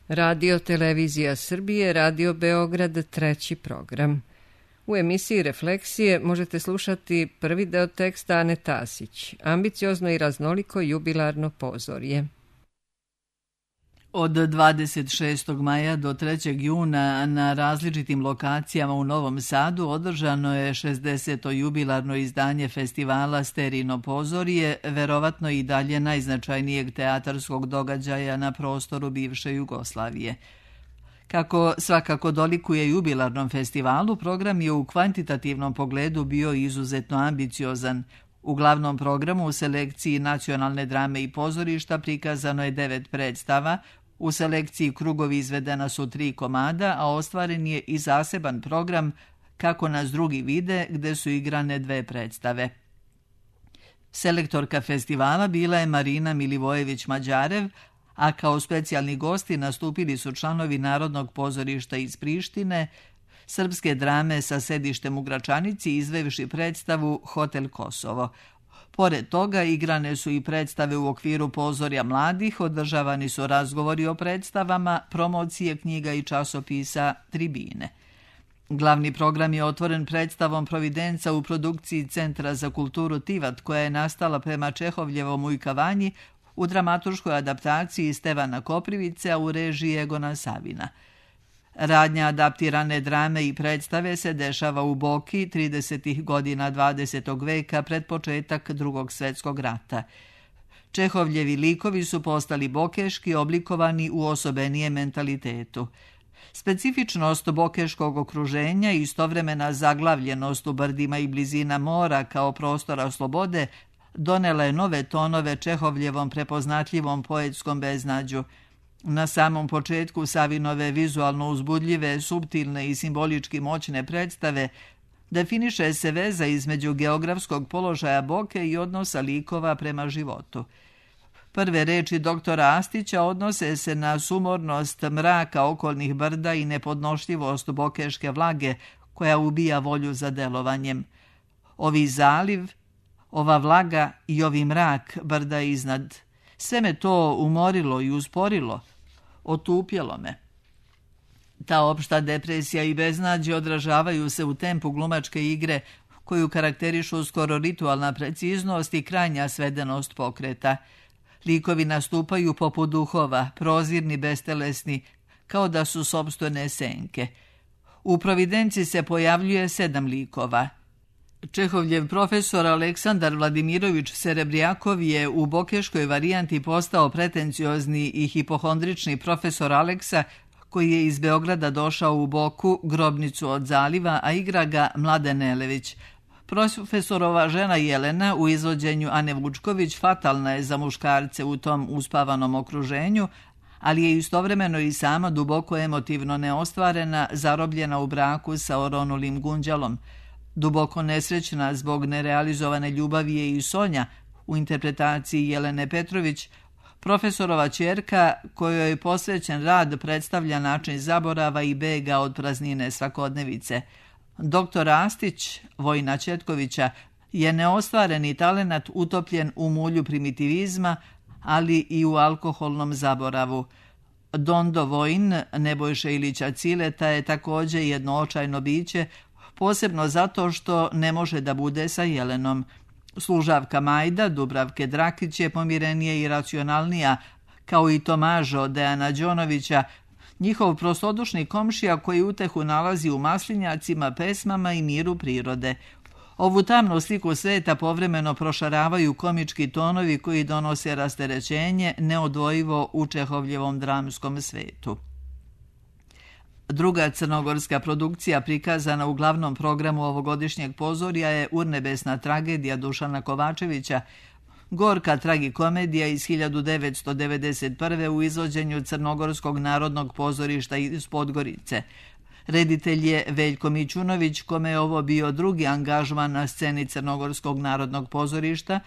Radio Televizija Srbije, Radio Beograd, treći program. U emisiji Refleksije možete slušati prvi deo teksta Ane Tasić, ambiciozno i raznoliko jubilarno pozorje. Od 26. maja do 3. juna na različitim lokacijama u Novom Sadu održano je 60. jubilarno izdanje festivala Sterijino pozorje, verovatno i dalje najznačajnijeg teatarskog događaja na prostoru bivše Jugoslavije. Kako svakako dolikuje jubilarnom festivalu, program je u kvantitativnom pogledu bio izuzetno ambiciozan. U glavnom programu u selekciji nacionalne drame i pozorišta prikazano je 9 predstava, u selekciji Krugovi izvedena su 3 komada, a ostvaren je i zaseban program Kako nas drugi vide, gde su igrane 2 predstave. Selektorka festivala bila je Marina Milivojević-Mađarev, a kao specijalni gosti nastupili su članovi Narodnog pozorišta iz Prištine, srpske drame sa sedištem u Gračanici, izvevši predstavu Hotel Kosovo. Pored toga igrane su i predstave u okviru pozorja mladih, održavani su razgovori o predstavama, promocije knjiga i časopisa, tribine. Glavni program je otvoren predstavom Providenca u produkciji Centra za kulturu Tivat, koja je nastala prema Čehovljevom Ujkavanji u dramaturškoj adaptaciji Stevana Koprivice, a u režiji Egona Savina. Radnja adaptirane drame i predstave se dešava u Boki 30. godina 20. veka pred početak Drugog svjetskog rata. Čehovljevi likovi su postali bokeški, oblikovani u osobenije mentalitetu. Specifičnost bokeškog okruženja i istovremena zaglavljenost u brdima i blizina mora kao prostora slobode donela je nove tonove Čehovljevom prepoznatljivom poetskom beznađu. Na samom početku Savinove vizualno uzbudljive, suptilne i simbolički moćne predstave definiše se veza između geografskog položaja Boke i odnosa likova prema životu. Prve reči doktora Astića odnose se na sumornost mraka okolnih brda i nepodnošljivost bokeške vlage koja ubija volju za delovanjem. Ovi zaliv, ova vlaga i ovi mrak brda iznad, sve me to umorilo i usporilo, otupjelo me. Ta opšta depresija i beznađe odražavaju se u tempu glumačke igre koju karakterišu skoro ritualna preciznost i krajnja svedenost pokreta. Likovi nastupaju poput duhova, prozirni, bestelesni, kao da su sopstvene senke. U Providenci se pojavljuje 7 likova. Čehovljev profesor Aleksandar Vladimirović Serebrijakov je u bokeškoj varijanti postao pretenciozni i hipohondrični profesor Aleksa, koji je iz Beograda došao u Boku, grobnicu od zaliva, a igra ga Mladen Elević. Profesorova žena Jelena u izvođenju Ane Vučković fatalna je za muškarce u tom uspavanom okruženju, ali je istovremeno i sama duboko emotivno neostvarena, zarobljena u braku sa oronulim Gunđalom. Duboko nesrećna zbog nerealizovane ljubavi je i Sonja u interpretaciji Jelene Petrović, profesorova ćerka kojoj je posvećen rad predstavlja način zaborava i bega od praznine svakodnevice. Doktor Astić, Vojina Četkovića, je neostvareni talenat utopljen u mulju primitivizma, ali i u alkoholnom zaboravu. Dondo Vojin, Nebojše Ilića Cileta, je također jedno očajno biće, posebno zato što ne može da bude sa Jelenom. Služavka Majda, Dubravke Drakić, je pomirenije i racionalnija, kao i Tomažo Dejana Đonovića, njihov prostodušni komšija koji utehu nalazi u maslinjacima, pesmama i miru prirode. Ovu tamnu sliku sveta povremeno prošaravaju komički tonovi koji donose rasterećenje neodvojivo u Čehovljevom dramskom svetu. Druga crnogorska produkcija prikazana u glavnom programu ovogodišnjeg pozorja je Urnebesna tragedija Dušana Kovačevića, gorka tragikomedija iz 1991. u izvođenju Crnogorskog narodnog pozorišta iz Podgorice. Reditelj je Veljko Mićunović, kome je ovo bio drugi angažman na sceni Crnogorskog narodnog pozorišta,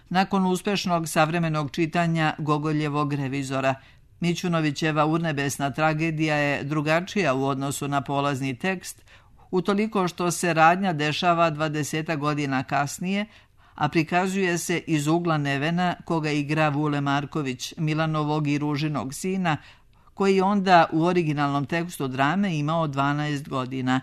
nakon uspešnog savremenog čitanja Gogoljevog Revizora. Mićunovićeva Urnebesna tragedija je drugačija u odnosu na polazni tekst, utoliko što se radnja dešava 20 godina kasnije, a prikazuje se iz ugla Nevena, koga igra Vule Marković, Milanovog i Ružinog sina, koji onda u originalnom tekstu drame imao 12 godina.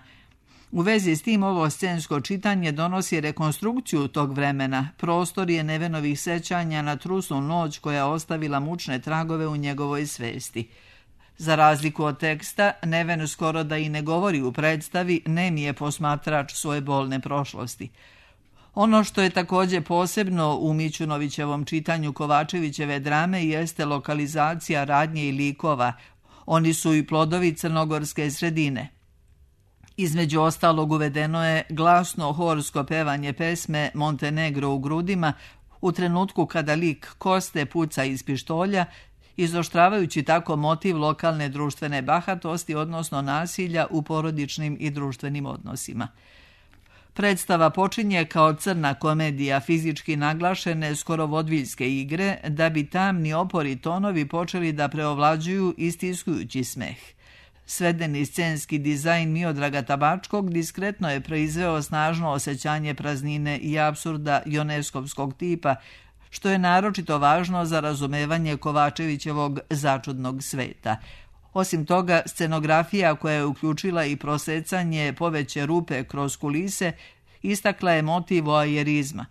U vezi s tim ovo scensko čitanje donosi rekonstrukciju tog vremena, prostorije Nevenovih sećanja na trusnu noć koja ostavila mučne tragove u njegovoj svesti. Za razliku od teksta, Neven skoro da i ne govori u predstavi, nemi je posmatrač svoje bolne prošlosti. Ono što je također posebno u Mićunovićevom čitanju Kovačevićeve drame jeste lokalizacija radnje i likova. Oni su i plodovi crnogorske sredine. Između ostalog uvedeno je glasno horsko pevanje pesme Montenegro u grudima u trenutku kada lik Koste puca iz pištolja, izoštravajući tako motiv lokalne društvene bahatosti, odnosno nasilja u porodičnim i društvenim odnosima. Predstava počinje kao crna komedija fizički naglašene skoro vodviljske igre, da bi tamni opori tonovi počeli da preovlađuju istiskujući smeh. Svedeni scenski dizajn Miodraga Tabačkog diskretno je proizveo snažno osjećanje praznine i apsurda ioneskovskog tipa, što je naročito važno za razumevanje Kovačevićevog začudnog sveta. Osim toga, scenografija koja je uključila i prosecanje poveće rupe kroz kulise istakla je motiv voajerizma.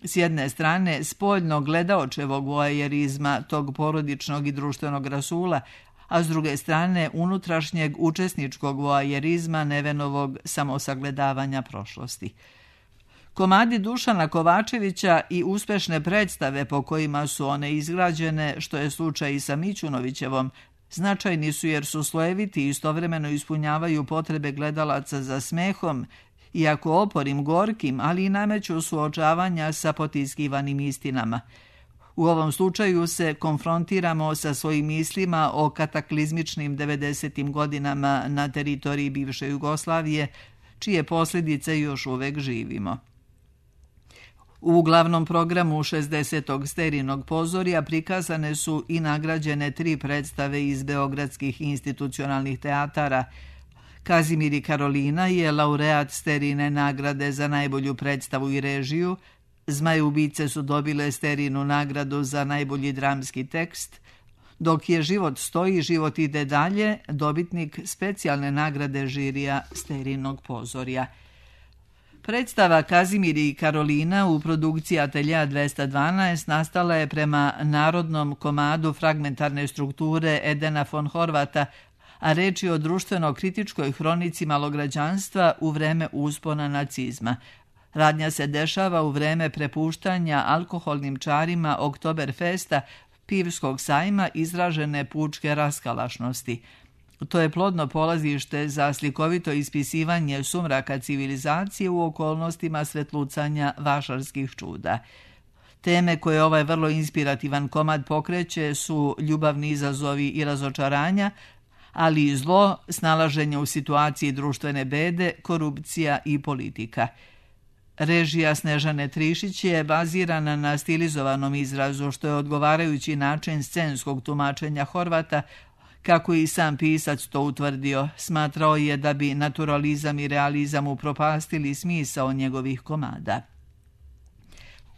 S jedne strane, spoljno gledaočevog voajerizma, tog porodičnog i društvenog rasula, a s druge strane unutrašnjeg učesničkog voajerizma Nevenovog samosagledavanja prošlosti. Komadi Dušana Kovačevića i uspešne predstave po kojima su one izgrađene, što je slučaj i sa Mićunovićevom, značajni su jer su slojeviti i istovremeno ispunjavaju potrebe gledalaca za smehom, iako oporim gorkim, ali i nameću suočavanja sa potiskivanim istinama. U ovom slučaju se konfrontiramo sa svojim mislima o kataklizmičnim 90. godinama na teritoriji bivše Jugoslavije, čije posljedice još uvek živimo. U glavnom programu 60. Sterinog pozorja prikazane su i nagrađene 3 predstave iz beogradskih institucionalnih teatara. Kazimir i Karolina je laureat Sterine nagrade za najbolju predstavu i režiju, Zmajubice su dobile Sterinu nagradu za najbolji dramski tekst, dok je Život stoji, život ide dalje, dobitnik specijalne nagrade žirija Sterinog pozorja. Predstava Kazimir i Karolina u produkciji Atelja 212 nastala je prema narodnom komadu fragmentarne strukture Edena von Horvata, a reč je o društveno-kritičkoj hronici malograđanstva u vreme uspona nacizma. Radnja se dešava u vreme prepuštanja alkoholnim čarima Oktoberfesta, pivskog sajma izražene pučke raskalašnosti. To je plodno polazište za slikovito ispisivanje sumraka civilizacije u okolnostima svetlucanja vašarskih čuda. Teme koje ovaj vrlo inspirativan komad pokreće su ljubavni izazovi i razočaranja, ali i zlo, snalaženje u situaciji društvene bede, korupcija i politika. Režija Snežane Trišić je bazirana na stilizovanom izrazu, što je odgovarajući način scenskog tumačenja Horvata, kako i sam pisac to utvrdio. Smatrao je da bi naturalizam i realizam upropastili smisao njegovih komada.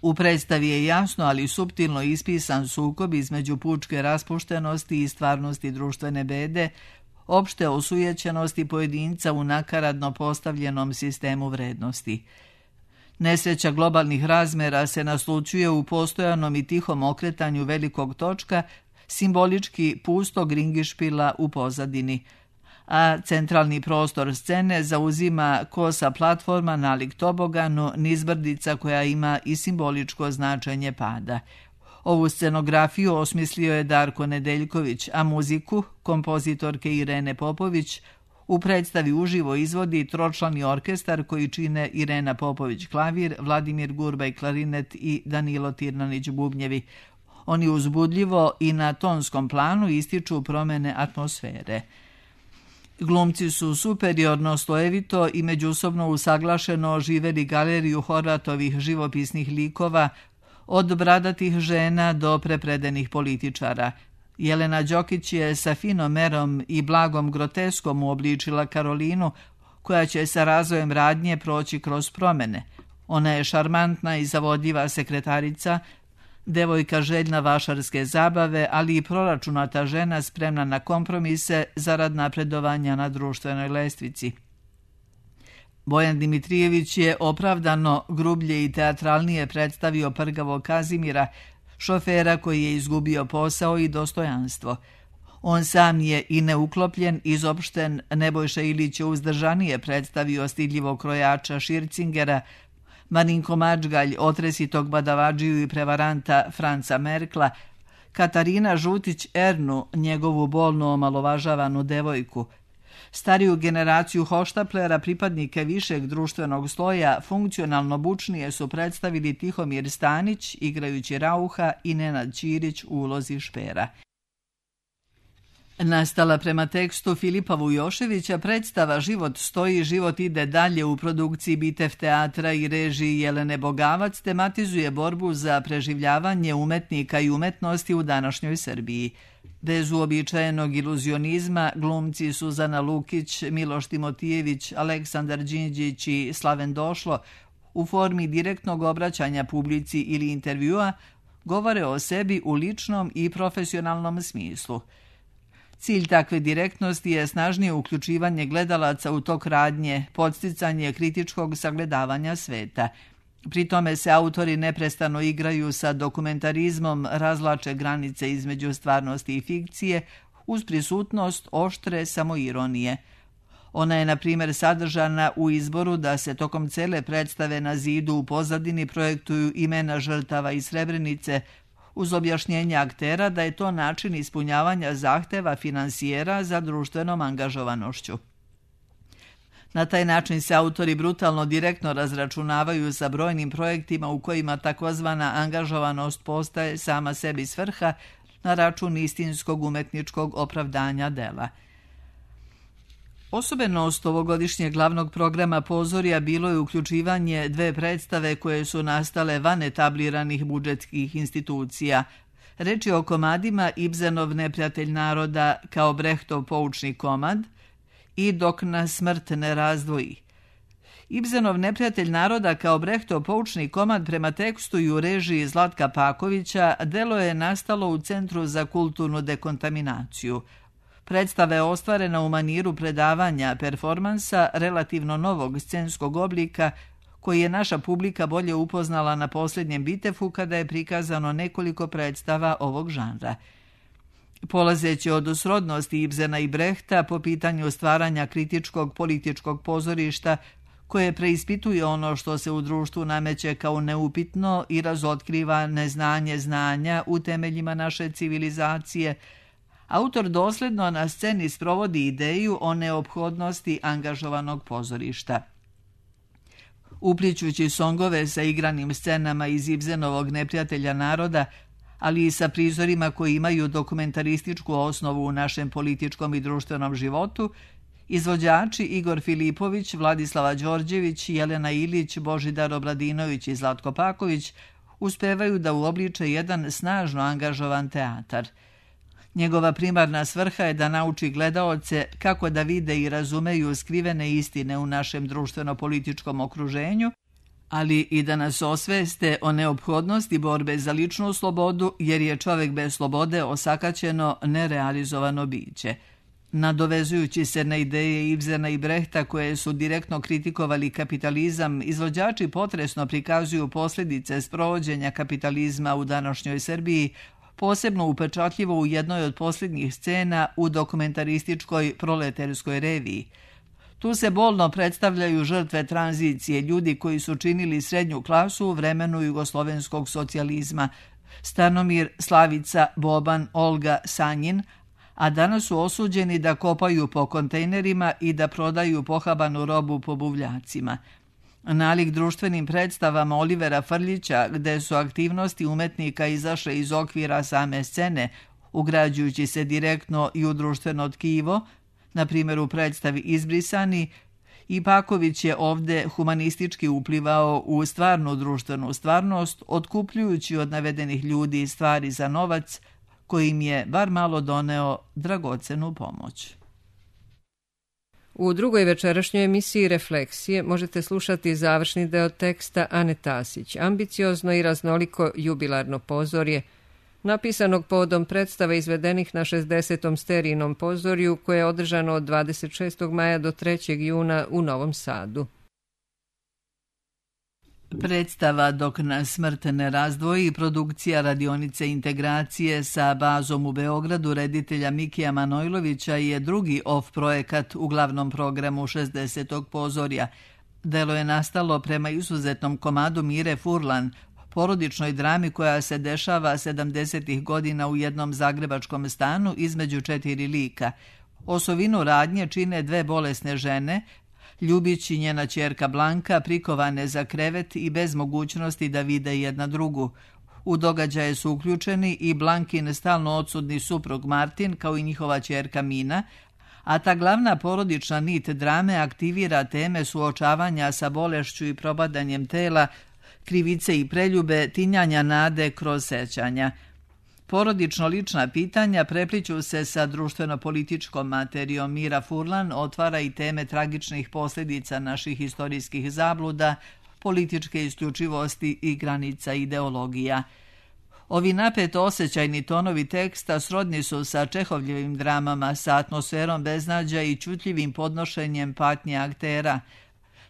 U predstavi je jasno, ali suptilno ispisan sukob između pučke raspuštenosti i stvarnosti društvene bede, opšte osujećenosti pojedinca u nakaradno postavljenom sistemu vrednosti. Nesreća globalnih razmera se naslučuje u postojanom i tihom okretanju velikog točka, simbolički pustog ringišpila u pozadini, a centralni prostor scene zauzima kosa platforma nalik toboganu, nizbrdica koja ima i simboličko značenje pada. Ovu scenografiju osmislio je Darko Nedeljković, a muziku kompozitorke Irene Popović u predstavi uživo izvodi tročlani orkestar koji čine Irena Popović klavir, Vladimir Gurbaj klarinet i Danilo Tirnanić bubnjevi. Oni uzbudljivo i na tonskom planu ističu promene atmosfere. Glumci su superiorno slojevito i međusobno usaglašeno oživeli galeriju Horvatovih živopisnih likova, od bradatih žena do prepredenih političara. Jelena Đokić je sa finom merom i blagom groteskom uobličila Karolinu, koja će sa razvojem radnje proći kroz promene. Ona je šarmantna i zavodljiva sekretarica, Devojka željna vašarske zabave, ali i proračunata žena spremna na kompromise zarad napredovanja na društvenoj lestvici. Bojan Dimitrijević je opravdano grublje i teatralnije predstavio prgavog Kazimira, šofera koji je izgubio posao i dostojanstvo. On sam je i neuklopljen, izopšten, Nebojša Ilić je uzdržanije predstavio stidljivog krojača Šircingera, Marinko Mačgalj otresitog badavađiju i prevaranta Franca Merkla, Katarina Žutić Ernu, njegovu bolno omalovažavanu devojku. Stariju generaciju hoštaplera, pripadnike višeg društvenog sloja, funkcionalno bučnije su predstavili Tihomir Stanić, igrajući Rauha, i Nenad Ćirić u ulozi Špera. Nastala prema tekstu Filipa Vujoševića, predstava Život stoji, život ide dalje u produkciji Bitev teatra i režiji Jelene Bogavac tematizuje borbu za preživljavanje umetnika i umetnosti u današnjoj Srbiji. Bez uobičajenog iluzionizma glumci Suzana Lukić, Miloš Timotijević, Aleksandar Đinđić i Slaven Došlo u formi direktnog obraćanja publici ili intervjua govore o sebi u ličnom i profesionalnom smislu. Cilj takve direktnosti je snažnije uključivanje gledalaca u tok radnje, podsticanje kritičkog sagledavanja sveta. Pri tome se autori neprestano igraju sa dokumentarizmom, razvlače granice između stvarnosti i fikcije uz prisutnost oštre samoironije. Ona je, na primjer, sadržana u izboru da se tokom cele predstave na zidu u pozadini projektuju imena žrtava iz Srebrenice, uz objašnjenje aktera da je to način ispunjavanja zahteva finansijera za društvenom angažovanošću. Na taj način se autori brutalno direktno razračunavaju sa brojnim projektima u kojima takozvana angažovanost postaje sama sebi svrha na račun istinskog umetničkog opravdanja dela. Osobenost ovogodišnjeg glavnog programa Pozorja bilo je uključivanje dve predstave koje su nastale van etabliranih budžetskih institucija. Reč je o komadima Ibsenov Neprijatelj naroda kao Brechtov poučni komad i Dok nas smrt ne razdvoji. Ibsenov Neprijatelj naroda kao Brechtov poučni komad prema tekstu i u režiji Zlatka Pakovića delo je nastalo u Centru za kulturnu dekontaminaciju. Predstava je ostvarena u maniru predavanja performansa relativno novog scenskog oblika koji je naša publika bolje upoznala na posljednjem Bitefu kada je prikazano nekoliko predstava ovog žanra. Polazeći od srodnosti Ibsena i Brehta po pitanju stvaranja kritičkog političkog pozorišta koje preispituje ono što se u društvu nameće kao neupitno i razotkriva neznanje znanja u temeljima naše civilizacije, autor dosljedno na sceni sprovodi ideju o neophodnosti angažovanog pozorišta. Uplićući songove sa igranim scenama iz Ibsenovog Neprijatelja naroda, ali i sa prizorima koji imaju dokumentarističku osnovu u našem političkom i društvenom životu, izvođači Igor Filipović, Vladislava Đorđević, Jelena Ilić, Božidar Obradinović i Zlatko Paković uspevaju da uobliče jedan snažno angažovan teatar. Njegova primarna svrha je da nauči gledaoce kako da vide i razumeju skrivene istine u našem društveno-političkom okruženju, ali i da nas osveste o neophodnosti borbe za ličnu slobodu, jer je čovjek bez slobode osakaćeno, nerealizovano biće. Nadovezujući se na ideje Ibsena i Brehta koje su direktno kritikovali kapitalizam, izvođači potresno prikazuju posljedice sprovođenja kapitalizma u današnjoj Srbiji, posebno upečatljivo u jednoj od posljednjih scena u dokumentarističkoj proletarskoj reviji. Tu se bolno predstavljaju žrtve tranzicije, ljudi koji su činili srednju klasu u vremenu jugoslovenskog socijalizma, Stanomir, Slavica, Boban, Olga, Sanjin, a danas su osuđeni da kopaju po kontejnerima i da prodaju pohabanu robu po buvljacima. Nalik društvenim predstavama Olivera Frljića, gde su aktivnosti umetnika izašle iz okvira same scene, ugrađujući se direktno i u društveno tkivo, na primjer u predstavi Izbrisani, i Paković je ovdje humanistički uplivao u stvarnu društvenu stvarnost, otkupljujući od navedenih ljudi stvari za novac, kojim je bar malo doneo dragocenu pomoć. U drugoj večerašnjoj emisiji Refleksije možete slušati završni deo teksta Ane Tasić, ambiciozno i raznoliko jubilarno pozorje, napisanog povodom predstave izvedenih na 60. Sterijnom pozorju koje je održano od 26. maja do 3. juna u Novom Sadu. Predstava Dok nas smrt ne razdvoji, produkcija radionice integracije sa bazom u Beogradu reditelja Mikija Manojlovića je drugi OFF projekat u glavnom programu 60. pozorja. Delo je nastalo prema izuzetnom komadu Mire Furlan, porodičnoj drami koja se dešava 70. godina u jednom zagrebačkom stanu između 4 lika. Osovinu radnje čine 2 bolesne žene, Ljubić i njena ćerka Blanka, prikovane za krevet i bez mogućnosti da vide jedna drugu. U događaje su uključeni i Blankin stalno odsudni suprug Martin kao i njihova ćerka Mina, a ta glavna porodična nit drame aktivira teme suočavanja sa bolešću i probadanjem tela, krivice i preljube, tinjanja nade kroz sećanja. Porodično-lična pitanja prepliću se sa društveno-političkom materijom. Mira Furlan otvara i teme tragičnih posljedica naših historijskih zabluda, političke isključivosti i granica ideologija. Ovi napeto osjećajni tonovi teksta srodni su sa Čehovljevim dramama, sa atmosferom beznađa i čutljivim podnošenjem patnje aktera.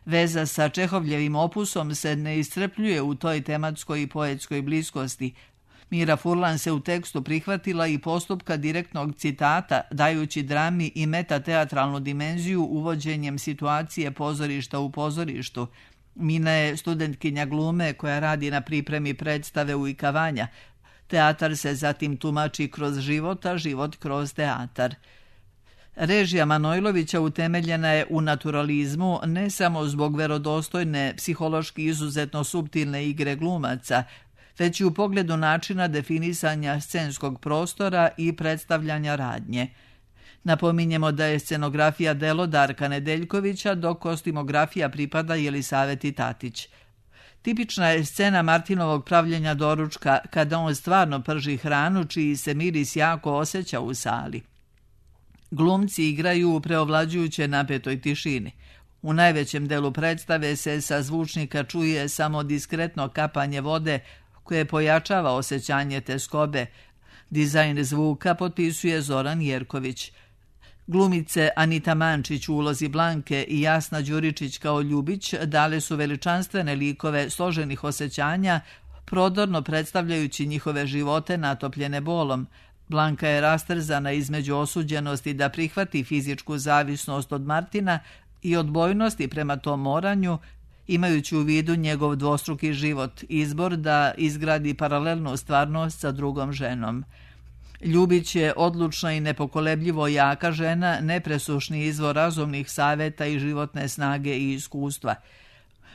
Veza sa Čehovljevim opusom se ne iscrpljuje u toj tematskoj i poetskoj bliskosti. Mira Furlan se u tekstu prihvatila i postupka direktnog citata, dajući drami i metateatralnu dimenziju uvođenjem situacije pozorišta u pozorištu. Mina je studentkinja glume koja radi na pripremi predstave u Ikavanja. Teatar se zatim tumači kroz život, a život kroz teatar. Režija Manojlovića utemeljena je u naturalizmu ne samo zbog verodostojne, psihološki izuzetno suptilne igre glumaca, već i u pogledu načina definisanja scenskog prostora i predstavljanja radnje. Napominjemo da je scenografija delo Darka Nedeljkovića, dok kostimografija pripada Jelisaveti Tatić. Tipična je scena Martinovog pravljenja doručka, kada on stvarno prži hranu, čiji se miris jako osjeća u sali. Glumci igraju u preovlađujuće napetoj tišini. U najvećem delu predstave se sa zvučnika čuje samo diskretno kapanje vode, koje pojačava osjećanje teskobe. Dizajn zvuka potpisuje Zoran Jerković. Glumice Anita Mančić u ulozi Blanke i Jasna Đuričić kao Ljubić dale su veličanstvene likove složenih osjećanja, prodorno predstavljajući njihove živote natopljene bolom. Blanka je rastrzana između osuđenosti da prihvati fizičku zavisnost od Martina i odbojnosti prema tom moranju, imajući u vidu njegov dvostruki život, izbor da izgradi paralelnu stvarnost sa drugom ženom. Ljubić je odlučna i nepokolebljivo jaka žena, nepresušni izvor razumnih savjeta i životne snage i iskustva.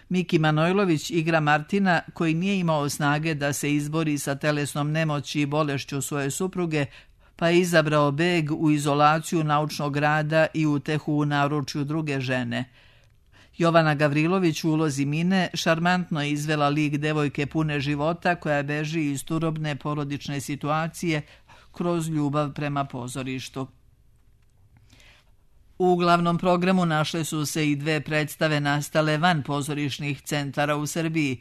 Miki Manojlović igra Martina, koji nije imao snage da se izbori sa telesnom nemoći i bolešću svoje supruge, pa je izabrao beg u izolaciju naučnog rada i utehu u naručju druge žene. Jovana Gavrilović u ulozi Mine šarmantno je izvela lik devojke pune života koja beži iz turobne porodične situacije kroz ljubav prema pozorištu. U glavnom programu našle su se i 2 predstave nastale van pozorišnih centara u Srbiji.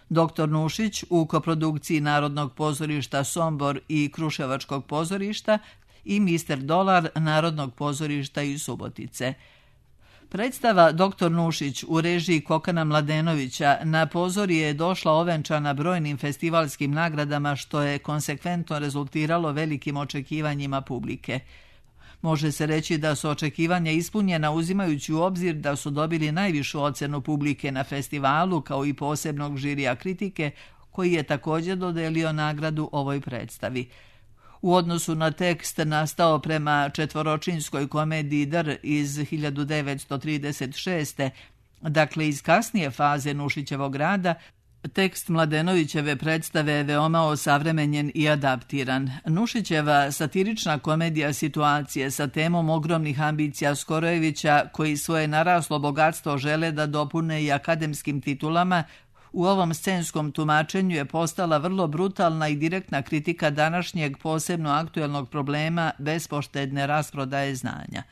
Dr. Nušić u koprodukciji Narodnog pozorišta Sombor i Kruševačkog pozorišta i Mister Dolar Narodnog pozorišta iz Subotice. Predstava Dr. Nušić u režiji Kokana Mladenovića na pozorje je došla ovenčana brojnim festivalskim nagradama, što je konsekventno rezultiralo velikim očekivanjima publike. Može se reći da su očekivanja ispunjena uzimajući u obzir da su dobili najvišu ocenu publike na festivalu kao i posebnog žirija kritike, koji je također dodelio nagradu ovoj predstavi. U odnosu na tekst nastao prema četvoročinskoj komediji Dr iz 1936. Dakle iz kasnije faze Nušićevog rada, tekst Mladenovićeve predstave je veoma osavremenjen i adaptiran. Nušićeva satirična komedija situacije sa temom ogromnih ambicija Skorojevića, koji svoje naraslo bogatstvo žele da dopune i akademskim titulama, u ovom scenskom tumačenju je postala vrlo brutalna i direktna kritika današnjeg posebno aktuelnog problema bespoštedne rasprodaje znanja.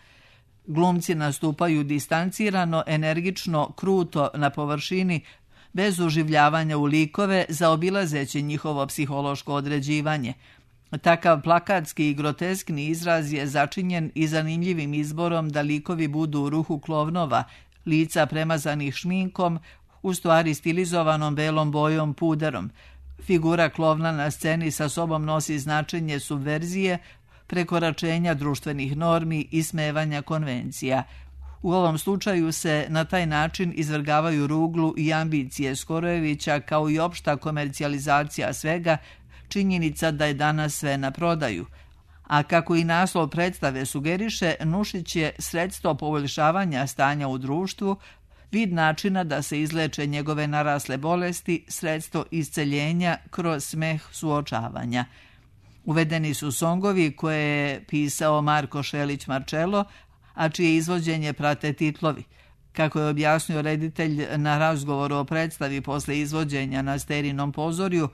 Glumci nastupaju distancirano, energično, kruto, na površini, bez uživljavanja u likove, zaobilazeći njihovo psihološko određivanje. Takav plakatski i groteskni izraz je začinjen i zanimljivim izborom da likovi budu u ruhu klovnova, lica premazanih šminkom, u stvari stilizovanom belom bojom puderom. Figura klovna na sceni sa sobom nosi značenje subverzije, prekoračenja društvenih normi i smevanja konvencija. U ovom slučaju se na taj način izvrgavaju ruglu i ambicije Skorojevića, kao i opšta komercijalizacija svega, činjenica da je danas sve na prodaju. A kako i naslov predstave sugeriše, Nušić je sredstvo poboljšavanja stanja u društvu, vid načina da se izleče njegove narasle bolesti, sredstvo isceljenja kroz smeh suočavanja. Uvedeni su songovi koje je pisao Marko Šelić Marčelo, a čije izvođenje prate titlovi. Kako je objasnio reditelj na razgovoru o predstavi posle izvođenja na Sterinom pozorju,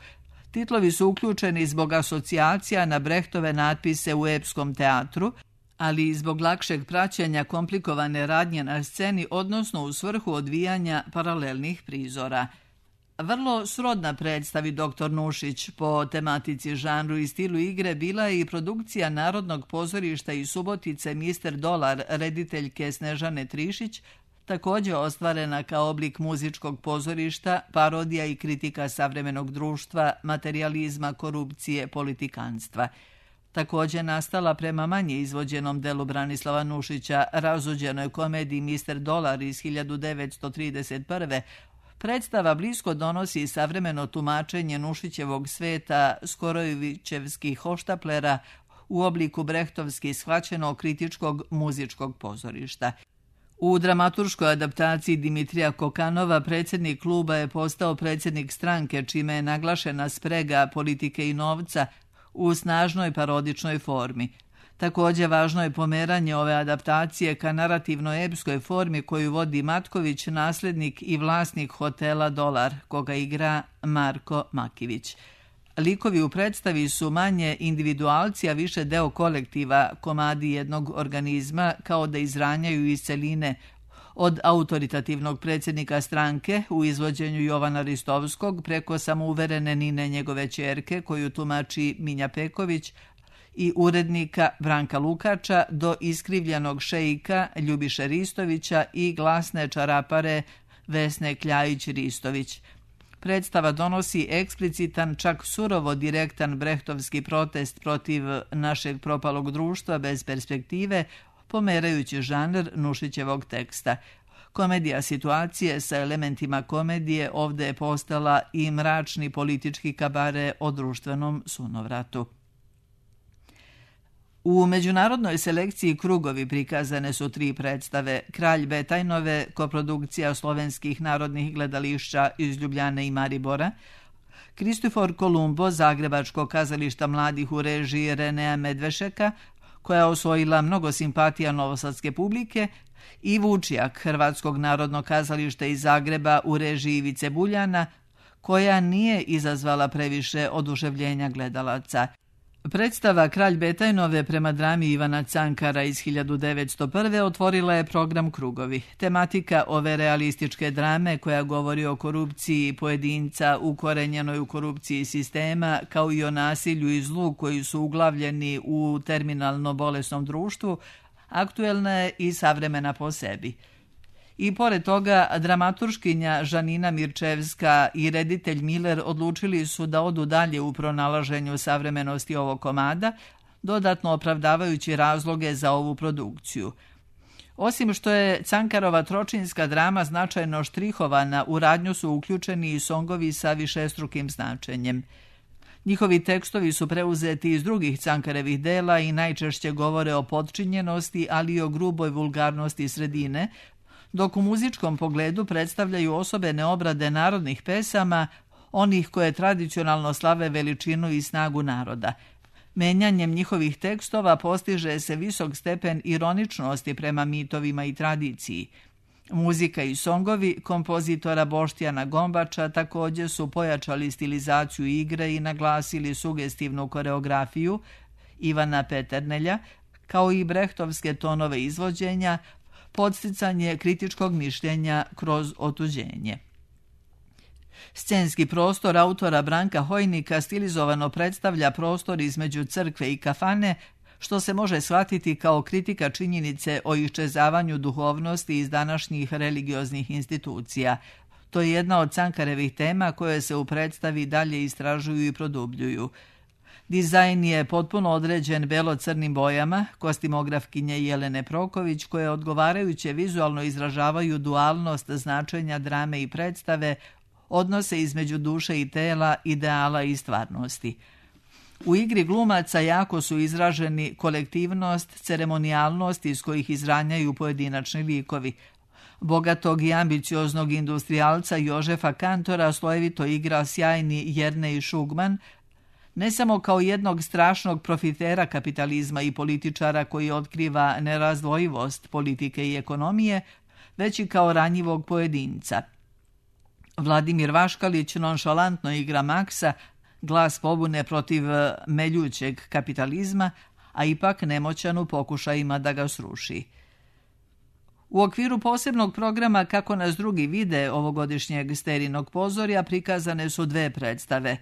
titlovi su uključeni zbog asocijacija na Brehtove natpise u epskom teatru, ali i zbog lakšeg praćenja komplikovane radnje na sceni, odnosno u svrhu odvijanja paralelnih prizora. Vrlo srodna predstavi Dr. Nušić po tematici, žanru i stilu igre bila je i produkcija Narodnog pozorišta iz Subotice Mister Dolar rediteljke Snežane Trišić, također ostvarena kao oblik muzičkog pozorišta, parodija i kritika savremenog društva, materijalizma, korupcije, politikanstva. Također nastala prema manje izvođenom delu Branislava Nušića, razuđenoj komediji Mister Dolar iz 1931. Predstava blisko donosi savremeno tumačenje Nušićevog sveta Skorojevićevskih hoštaplera u obliku brehtovski shvaćenog kritičkog muzičkog pozorišta. U dramaturškoj adaptaciji Dimitrija Kokanova predsjednik kluba je postao predsjednik stranke, čime je naglašena sprega politike i novca u snažnoj parodičnoj formi. Također važno je pomeranje ove adaptacije ka narativno-epskoj formi koju vodi Matković, nasljednik i vlasnik hotela Dolar, koga igra Marko Makivić. Likovi u predstavi su manje individualci, a više deo kolektiva, komadi jednog organizma, kao da izranjaju iz celine, od autoritativnog predsjednika stranke u izvođenju Jovana Ristovskog preko samouverene Nine njegove ćerke, koju tumači Minja Peković, i urednika Branka Lukača do iskrivljenog šeika Ljubiše Ristovića i glasne čarapare Vesne Kljajić-Ristović. Predstava donosi eksplicitan, čak surovo direktan brehtovski protest protiv našeg propalog društva bez perspektive, pomerajući žanr Nušićevog teksta. Komedija situacije sa elementima komedije ovdje je postala i mračni politički kabare o društvenom sunovratu. U međunarodnoj selekciji Krugovi prikazane su 3 predstave: Kralj Betajnove, koprodukcija slovenskih narodnih gledališća iz Ljubljane i Maribora, Kristofor Kolumbo, Zagrebačko kazališta mladih u režiji Renea Medvešeka, koja osvojila mnogo simpatija novosadske publike, i Vučijak, Hrvatskog narodnog kazališta iz Zagreba u režiji Ivice Buljana, koja nije izazvala previše oduševljenja gledalaca. Predstava Kralj Betajnove prema drami Ivana Cankara iz 1901. otvorila je program Krugovi. Tematika ove realističke drame, koja govori o korupciji pojedinca ukorenjenoj u korupciji sistema, kao i o nasilju i zlu koji su uglavljeni u terminalno bolesnom društvu, aktuelna je i savremena po sebi. I pored toga, dramaturškinja Žanina Mirčevska i reditelj Miller odlučili su da odu dalje u pronalaženju savremenosti ovog komada, dodatno opravdavajući razloge za ovu produkciju. Osim što je Cankarova tročinska drama značajno štrihovana, u radnju su uključeni i songovi sa višestrukim značenjem. Njihovi tekstovi su preuzeti iz drugih Cankarevih dela i najčešće govore o potčinjenosti, ali i o gruboj vulgarnosti sredine, dok u muzičkom pogledu predstavljaju osobene obrade narodnih pesama, onih koje tradicionalno slave veličinu i snagu naroda. Menjanjem njihovih tekstova postiže se visok stepen ironičnosti prema mitovima i tradiciji. Muzika i songovi kompozitora Boštijana Gombača također su pojačali stilizaciju igre i naglasili sugestivnu koreografiju Ivana Peternelja, kao i brehtovske tonove izvođenja, podsticanje kritičkog mišljenja kroz otuđenje. Scenski prostor autora Branka Hojnika stilizovano predstavlja prostor između crkve i kafane, što se može shvatiti kao kritika činjenice o iščezavanju duhovnosti iz današnjih religioznih institucija. To je jedna od Cankarevih tema koje se u predstavi dalje istražuju i produbljuju. Dizajn je potpuno određen belo-crnim bojama kostimografkinje Jelene Proković, koje odgovarajuće vizualno izražavaju dualnost značenja drame i predstave, odnose između duše i tela, ideala i stvarnosti. U igri glumaca jako su izraženi kolektivnost, ceremonijalnost iz kojih izranjaju pojedinačni likovi. Bogatog i ambicioznog industrijalca Jožefa Kantora slojevito igra sjajni Jernej Šugman, ne samo kao jednog strašnog profitera kapitalizma i političara koji otkriva nerazdvojivost politike i ekonomije, već i kao ranjivog pojedinca. Vladimir Vaškalić nonšalantno igra Maksa, glas pobune protiv meljućeg kapitalizma, a ipak nemoćan u pokušajima da ga sruši. U okviru posebnog programa Kako nas drugi vide ovogodišnjeg Sterinog pozorja prikazane su dve predstave.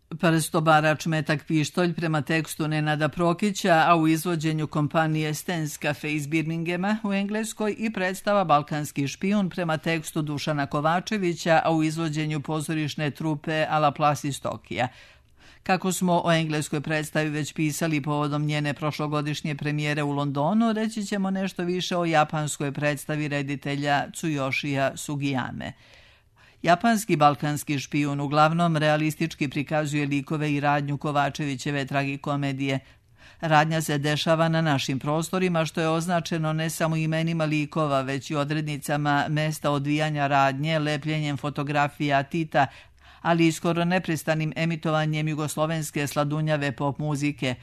Prstobarač Metak pištolj prema tekstu Nenada Prokića, a u izvođenju kompanije Stens Cafe iz Birminghama u Engleskoj, i predstava Balkanski špijun prema tekstu Dušana Kovačevića, a u izvođenju pozorišne trupe A la Place iz Tokija. Kako smo o engleskoj predstavi već pisali povodom njene prošlogodišnje premijere u Londonu, reći ćemo nešto više o japanskoj predstavi reditelja Tsuyoshija Sugiyame. Japanski balkanski špijun uglavnom realistički prikazuje likove i radnju Kovačevićeve tragikomedije. Radnja se dešava na našim prostorima, što je označeno ne samo imenima likova, već i odrednicama mesta odvijanja radnje, lepljenjem fotografija Tita, ali i skoro neprestanim emitovanjem jugoslovenske sladunjave pop muzike,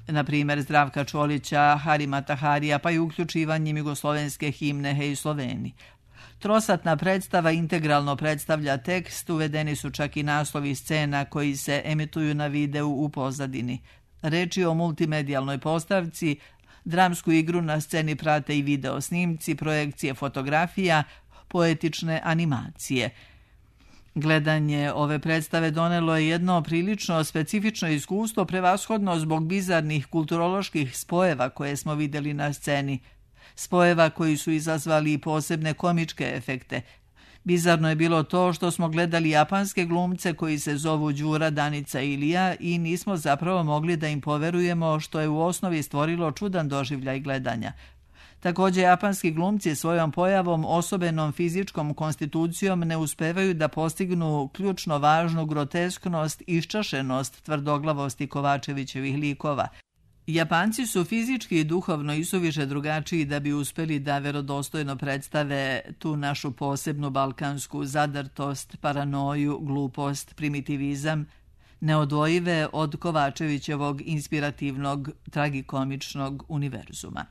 na primjer Zdravka Čolića, Harima Taharija, pa i uključivanjem jugoslovenske himne Hej Sloveni. Trosatna predstava integralno predstavlja tekst, uvedeni su čak i naslovi scena koji se emituju na videu u pozadini. Reč je o multimedijalnoj postavci, dramsku igru na sceni prate i video snimci, projekcije fotografija, poetične animacije. Gledanje ove predstave donelo je jedno prilično specifično iskustvo, prevashodno zbog bizarnih kulturoloških spojeva koje smo vidjeli na sceni. Spojeva koji su izazvali posebne komičke efekte. Bizarno je bilo to što smo gledali japanske glumce koji se zovu Đura, Danica i Ilija i nismo zapravo mogli da im poverujemo, što je u osnovi stvorilo čudan doživljaj gledanja. Također, japanski glumci svojom pojavom, osobenom fizičkom konstitucijom ne uspevaju da postignu ključno važnu grotesknost i iščašenost tvrdoglavosti Kovačevićevih likova. Japanci su fizički i duhovno isuviše drugačiji da bi uspeli da verodostojno predstave tu našu posebnu balkansku zadrtost, paranoju, glupost, primitivizam, neodvojive od Kovačevićevog inspirativnog tragikomičnog univerzuma.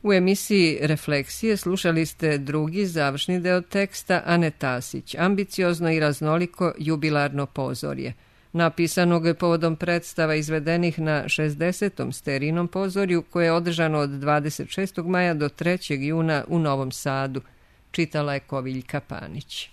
U emisiji Refleksije slušali ste drugi završni deo teksta Ane Tasić, ambiciozno i raznoliko jubilarno pozorje, napisanog povodom predstava izvedenih na 60. Sterinom pozorju koje je održano od 26. maja do 3. juna u Novom Sadu, čitala je Koviljka Panić.